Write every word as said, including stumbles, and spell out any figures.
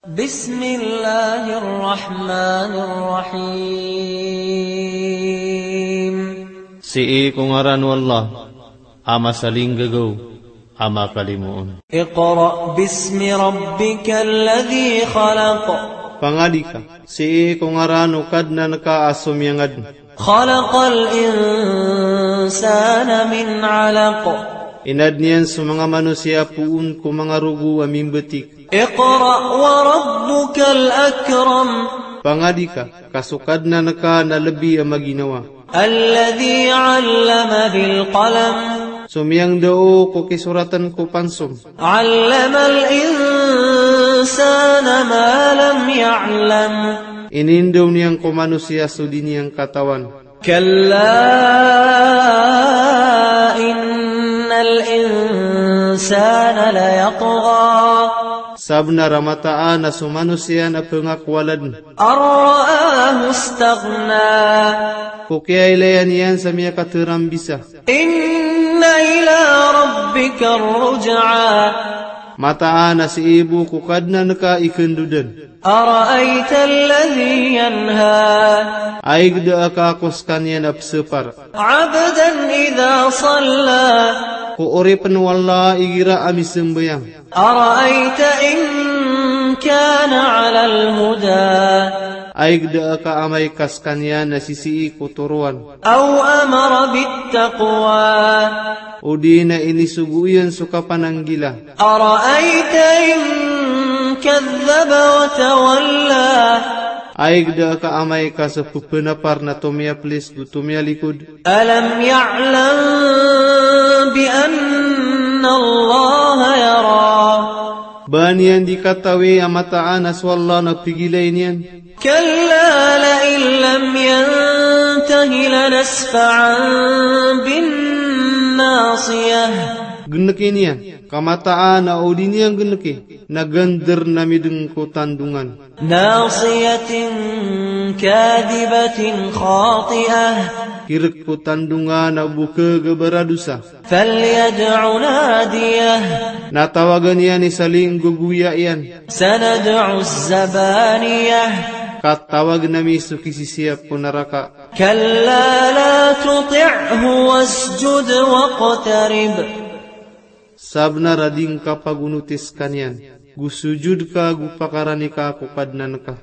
Bismillahir Rahmanir Rahim. Sii ko ngaran o Allah a masalinggagaw a makalimoon. Iqra bismi rabbikal ladhi khalaq. Pangadi ka sii ko ngaran o Kadnan ka a somiyangadn. Khalaqal insana min alaq. Inadn iyan so manga manosiya poon ko manga rogo a mimbetik. Iqra wa rabbukal akram. Pangadi ka, ka so Kadnan ka na lebi a maginawa. Alladhi allama bil qalam. So miyangndao ko kisoratn ko pansom. Allamal insana ma lam ya'lam. Inindaw niyan ko manosiya so di niyan katawan. Kalla innal insana layatgha. Sabnar a mataan a so manosiya na pngakowaladn. An ra'ahu istaghna. Ko kiyailaya niyan sa miyakatarambisa. Inna ila rabbikar ruj'a. Mataan a sii bo ko Kadnan ka i kndodn. Ara'aytal ladhi yanha. Ayg da a ka ko skaniyan a psapar. Abdan idha salla. Ko oripn o Allah igira a misambayang. Ara'ayta in kana alal huda. Ayg da a ka amay ka skaniyan na sisii ko toroan. Aw amara bit taqwa. O di na inisogo iyan so kapananggila. Ara'ayta in kadhdhaba wa tawalla. Ayg da a ka amay ka so pphapar na tomiyaplis go tomiyalikod. Alam ya'lam bi anna Allaha yara. Ba niyan di katawi a mataan a so Allah na pigilay niyan. Kalla la'in lam yantahi lanasfa'an bin nasiyah. Gnki niyan, ka mataan a o di niyan gnki, na gandr na midng ko tandongan. Nasiyatin kadhibatin khati'ah. Kirk ko tandongan a bokg a baradosa. Falyad'u nadiyah. Na tawagn iyan i salinggogoya iyan. Sanad'u zabaniyah. Ka tawagn ami so kisisiyap ko naraka. Kalla la tuti'hu wasjud waqtarib. Sabnar a di ngka pagonoti skaniyan, go sojod ka go pakarani ka ko Kadnan ka.